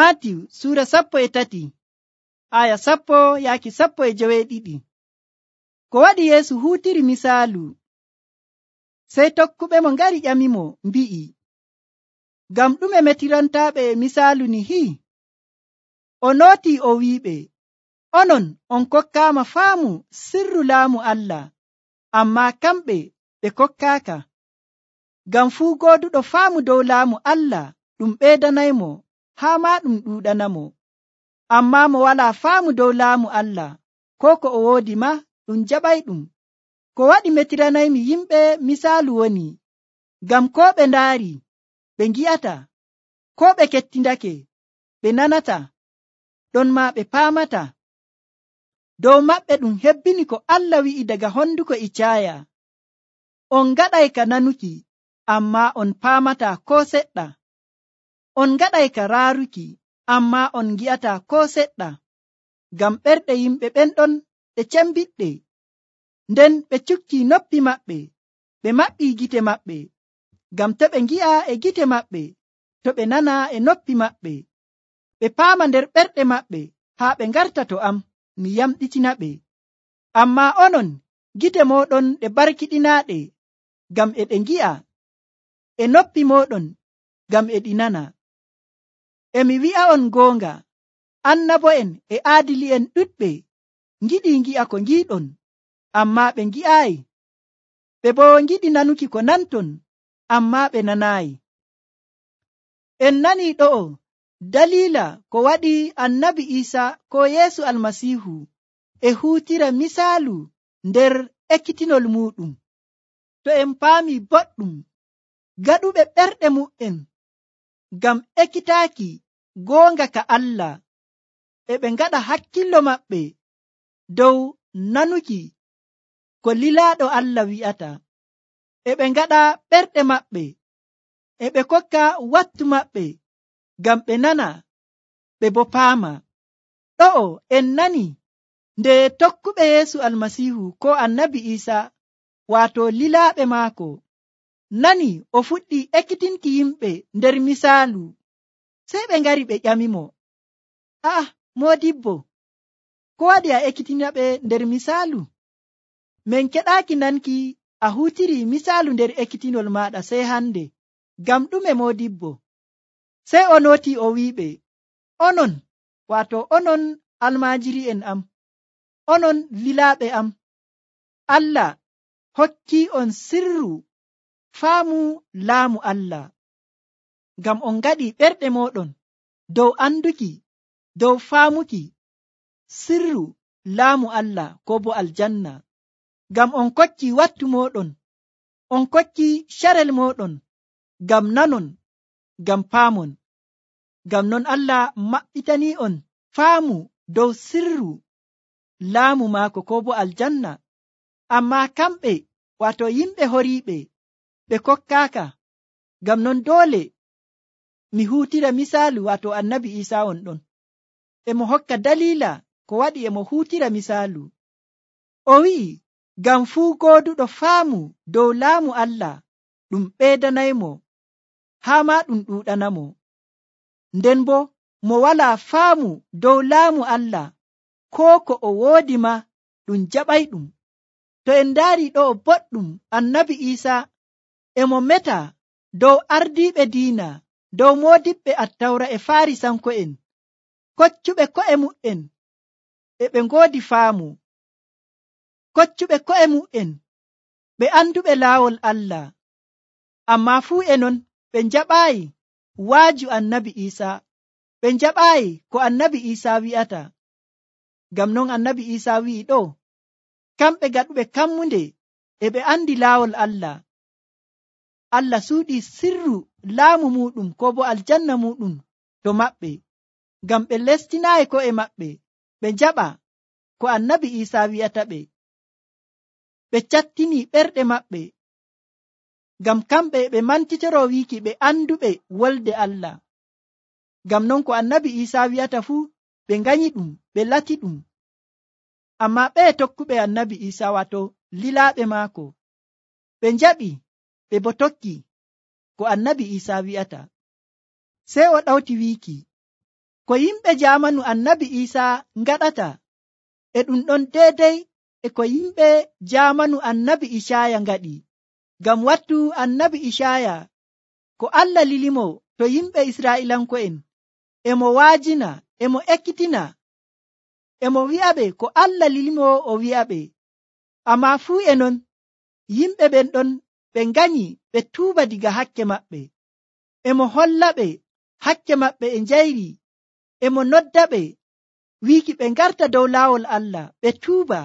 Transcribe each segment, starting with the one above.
Maatiyu suura 13 aya 10-12. Ko waɗi Yeesu huutiri misaalu, sey tokkuɓe mo ngari ƴamimo mbi'i, ngam ɗume metirantaaɓe misaalu nihi? O nooti o wi'iɓe, onon on kokkaama faamu sirru laamu Allah, ammaa kamɓe ɓe kokkaaka. Ngam fuu gooduɗo faamu dow laamu Allah ɗum ɓeydanaymo haa maa ɗum ɗuuɗanamo. Ammaa mo walaa faamu dow laamu Allah, ko ko o woodi ma ɗum jaɓayɗum. Ko waɗi metiranaymi yimɓe misaalu woni, ngam koo ɓe ndaari ɓe ngi'ata, koo ɓe kettindake ɓe nanata, ɗon maa ɓe paamata. Dow maɓɓe ɗum hebbini ko Allah wi'i daga honduko Icaaya, on ngaɗay ka nanuki, ammaa on paamata koo seɗɗa. On ngaɗay ka raaruki, ammaa on ngi'ata koo seɗɗa. Ngam ɓerɗe yimɓe ɓen ɗon ɗe cembiɗɗe, nden ɓe cukki noppi maɓɓe, ɓe maɓɓii gite maɓɓe. Ngam to ɓe ngi'a e gite maɓɓe, to ɓe nana e noppi maɓɓe, ɓe paama nder ɓerɗe maɓɓe, haa ɓe ngarta to am, mi yamɗitina ɓe. Ammaa onon, gite mooɗon ɗe barkiɗinaaɗe, ngam e ɗe ngi'a, e noppi mooɗon, ngam e ɗi nana. E mi wi'a'on goonga, annabo'en e aadili'en ɗuɗɓe ngiɗii ngi'a ko ngiiɗon, ammaa ɓe ngi'aayi. Ɓe boo ngiɗi nanuki ko nanton, ammaa ɓe nanaayi. En nanii ɗo'o daliila ko waɗi annabi Iisaa ko Yeesu Almasiihu e huutira misaalu nder ekkitinol muuɗum. To en paami boɗɗum, gaɗuɓe ɓerɗe mu'en ngam ekkitaaki goonga ka Allah, e ɓe ngaɗa hakkillo maɓɓe dow nanuki ko lilaaɗo Allah wi'ata, e ɓe ngaɗa ɓerɗe maɓɓe, e ɓe kokka wattu maɓɓe ngam ɓe nana, ɓe boo paama. Ɗo'o en nani nde tokkuɓe Yeesu Almasiihu ko annabi Iisaa, waato lilaaɓe maako, nani o fuɗɗi ekkitinki yimɓe nder misaalu, sey ɓe ngari ɓe ƴamimo, moodibbo, ko waɗi a ekkitinaɓe nder misaalu? Min keɗaaki nanki a huutiri misaalu nder ekkitinol maaɗa sey hande, ngam ɗume moodibbo? Sey o nooti o wi'iɓe, onon, waato onon almaajiri'en am, onon lilaaɓe am, Allah hokkii on sirru faamu laamu Allah, ngam on ngaɗi ɓerɗe mooɗon dow anduki, dow faamuki sirru laamu Allah ko bo aljanna. Ngam on kokki wattu mooɗon, on kokki carel mooɗon, ngam nanon, ngam paamon. Ngam non Allah maɓɓitanii on faamu dow sirru laamu maako ko bo aljanna. Ammaa kamɓe, waato yimɓe horiiɓe, ɓe kokkaaka. Ngam non doole mi huutira misaalu, waato annabi Iisaa on ɗon. Emo hokka daliila ko waɗi emo huutira misaalu. O wi'i, ngam fuu gooduɗo faamu dow laamu Allah ɗum ɓeydanaymo haa maa ɗum ɗuuɗanamo. Nden boo mo walaa faamu dow laamu Allah, koo ko o woodi ma ɗum jaɓayɗum. To en ndaari ɗo boɗɗum, annabi Iisaa emo meta dow ardiiɓe diina, dow moodiɓɓe attawra e Faarisanko'en, koccuɓe ko'e mu'en, e ɓe ngoodi faamu, koccuɓe ko'e mu'en, ɓe anduɓe laawol Allah. Ammaa fuu e non ɓe njaɓaayi waaju annabi Iisaa, ɓe njaɓaayi ko annabi Iisaa wi'ata. Ngam non annabi Iisaa wi'i ɗo, kamɓe gaɗuɓe kammunde e ɓe andi laawol Allah. Allah suuɗi sirru laamu muɗum ko bo aljanna muɗum to maɓɓe, ngam ɓe lestinaayi ko'e maɓɓe ɓe njaɓa ko annabi Iisaa wi'ata ɓe. Ɓe cattini ɓerɗe maɓɓe, ngam kamɓe ɓe mantitoro wiiki ɓe anduɓe wolde Allah. Ngam non ko annabi Iisaa wi'ata fuu ɓe nganyi ɗum, ɓe lati ɗum. Ammaa ɓe tokkuɓe annabi Iisaa, waato lilaaɓe maako, ɓe njaɓi, ɓe bo tokki ko annabi Iisaa wi'ata. Sey o ɗawti wiiki, ko yimɓe jamanu annabi Isa ngaɗata e ɗum ɗon deidai e ko yimɓe jamanu annabi Ishaya ngaɗi. Ngam wattu annabi Ishaya ko Allah lilimo to yimɓe Isra'ilanko'en emo waajina emo ekkitina emo wi'aɓe ko Allah lilimo o wi'aɓe. Amma fuu e non yimɓe ɓen ɗon ɓe nganyi ɓe tuuba diga hakke maɓɓe. Emo hollaɓe hakke maɓɓe e njayri. Emo noddaɓe wiiki ɓe ngarta dow laawol Allah ɓe tuuba,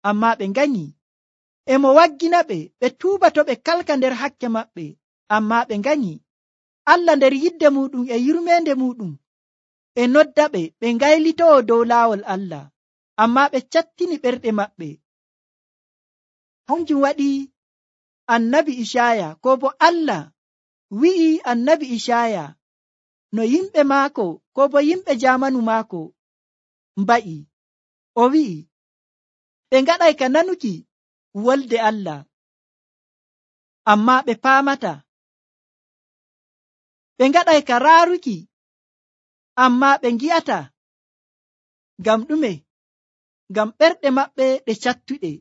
amma ɓe nganyi. Emo wagginaɓe ɓe tuuba to ɓe kalka nder hakke maɓɓe, amma ɓe nganyi. Allah nder yidde muɗum e yurmende muɗum e noddaɓe ɓe ngaylitoo dow laawol Allah, amma ɓe cattini ɓerɗe maɓɓe. Hanjum waɗi annabi Ishaya, ko bo Allah wi'i annabi Ishaya no yimɓe maako ko bo yimɓe jamanu maako mba'i. O wi'i ɓe ngaɗay ka nanuki wolde Allah, amma ɓe paamata. Ɓe ngaɗay ka raaruki, amma ɓe ngi'ata. Ngam ɗume? Ngam ɓerɗe maɓɓe ɗe cattuɗe.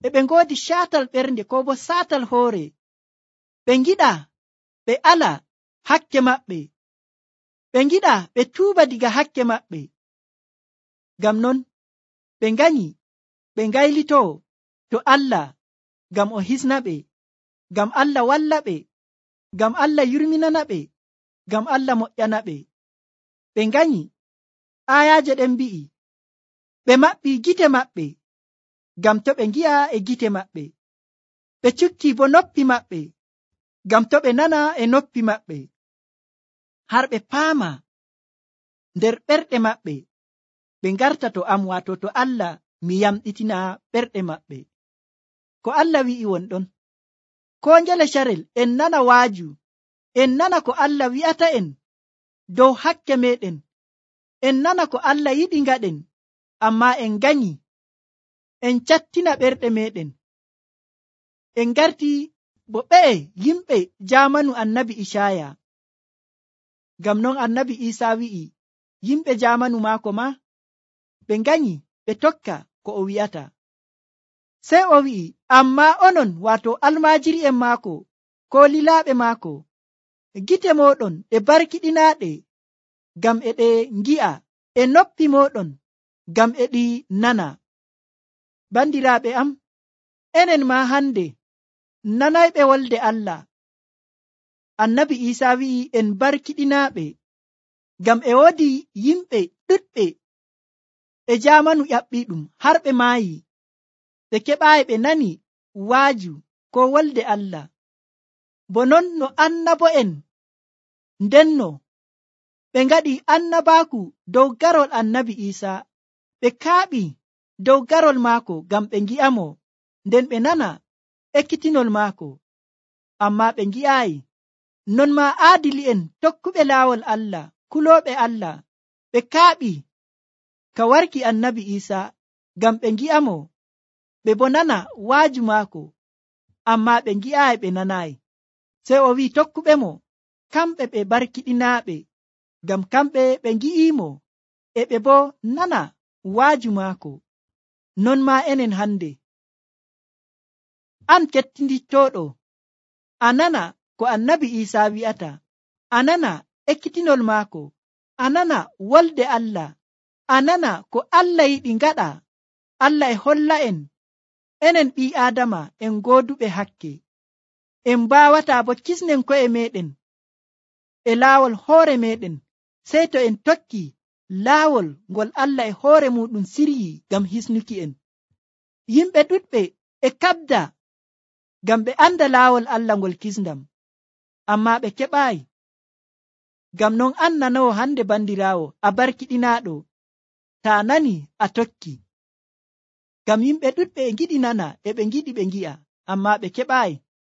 E ɓe ngoodi caatal ɓernde ko bo saatal hoore. Ɓe ngiɗa ɓe ala hakke maɓɓe. Ɓe ngiɗa ɓe tuuba diga hakke maɓɓe. Ngam non ɓe nganyi ɓe ngaylitoo to Allah ngam o hisna ɓe, ngam Allah walla ɓe, ngam Allah yurminana ɓe, ngam Allah moƴƴana ɓe. Ɓe nganyi aayaaje ɗen mbi'i ɓe maɓɓi gite maɓɓe ngam to ɓe ngi'a e gite maɓɓe. Ɓe cukki bo noppi maɓɓe ngam to ɓe nana e noppi maɓɓe, har ɓe paama nder ɓerɗe maɓɓe ɓe ngarta to am, wato to Allah mi yamɗitina ɓerɗe maɓɓe. Ko Allah wi'i wonɗon, ko ngele carel en nana waaju, en nana ko Allah wi'ata en dow hakke meɗen, en nana ko Allah yiɗi ngaɗen, amma en nganyi en cattina ɓerɗe meɗen. En ngarti bo ɓe'e yimɓe jamanu annabi Ishaya. Ngam non annabi Isa wi'i yimɓe jamanu maako ma ɓe nganyi ɓe tokka ko o wi'ata. Sey o wi'i amma onon, wato almaajiri'en maako ko lilaaɓe maako, gite moɗon ɗe barkiɗinaaɗe ngam e ɗe ngi'a, e noppi moɗon ngam e ɗi nana. Bandiraaɓe am, enen ma hande nanayɓe wolde Allah. Annabi Isa wi'i en barkiɗinaaɓe ngam e woodi yimɓe ɗuɗɓe e jamanu ƴaɓɓiɗum har ɓe maayi, ɓe keɓaayi ɓe nani waaju ko wolde Allah. Bo non no annabo'en ndenno ɓe ngaɗi annabaaku dow garol annabi Isa, ɓe kaaɓi dow garol maako ngam ɓe ngi'amo, nden ɓe nana ekkitinol maako, amma ɓe ngi'aayi. Non ma aadili'en tokkuɓe laawol Allah, kulooɓe Allah, ɓe kaaɓi ka warki annabi Isa ngam ɓe ngi'amo, ɓe bo nana waaju maako, amma ɓe ngi'aayi, ɓe nanaayi. Sey o wi'i tokkuɓe mo kamɓe ɓe barkiɗinaaɓe, ngam kamɓe ɓe ngi'imo e ɓe bo nana waaju maako. Non ma enen hande, an kettinittooɗo, a nana ko annabi Isa wi'ata, a nana ekkitinol maako, a nana wolde Allah, a nana ko Allah yiɗi ngaɗa. Allah e holla en enen ɓii Aadama en gooduɓe hakke, en mbawata bo kisnen ko'e meɗen e laawol hoore meɗen, sey to en tokki laawol ngol Allah e hoore muɗum siryi ngam hisnuki en. Yimɓe ɗuɗɓe e kabda ngam ɓe anda laawol Allah ngol kisndam, amma ɓe keɓaayi. Ngam non an nanowo hande bandiraawo, a barkiɗinaaɗo, ta nani a tokki. Ngam yimɓe ɗuɗɓe e ngiɗi nana e ɓe ngiɗi ɓe ngi'a, amma ɓe keɓaayi.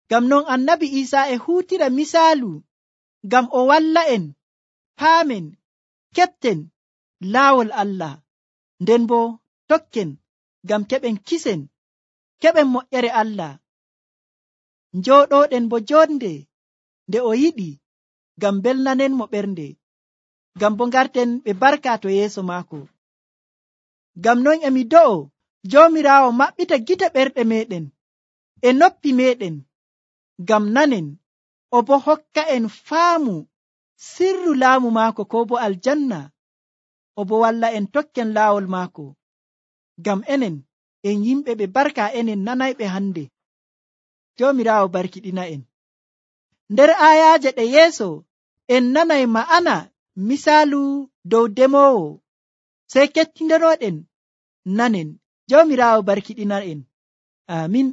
Ngam non annabi Isa e huutira misaalu ngam o walla en paamen, keɓten laawol Allah, nden bo tokken ngam keɓen kisen, keɓen moƴƴere Allah, njooɗoɗen bo jonde nde o yiɗi, ngam belnanen mo ɓernde. ngam bo ngarten ɓe barka to yeeso maako. Ngam non emi do'o Joomiraawo maɓɓita gite ɓerɗe meɗen e noppi meɗen ngam nanen, o bo hokka en faamu sirru laamu maako ko bo aljanna, o bo walla en tokken laawol maako. Ngam enen en yimɓe ɓe barka enen nanayɓe hande. Joomiraawo barkiɗina en. Nder aayaaje ɗe yeeso en nanay ma'ana misaalu dow demoowo, sey kettindenoɗen nanen. Joomiraawo barkiɗina en. Amin.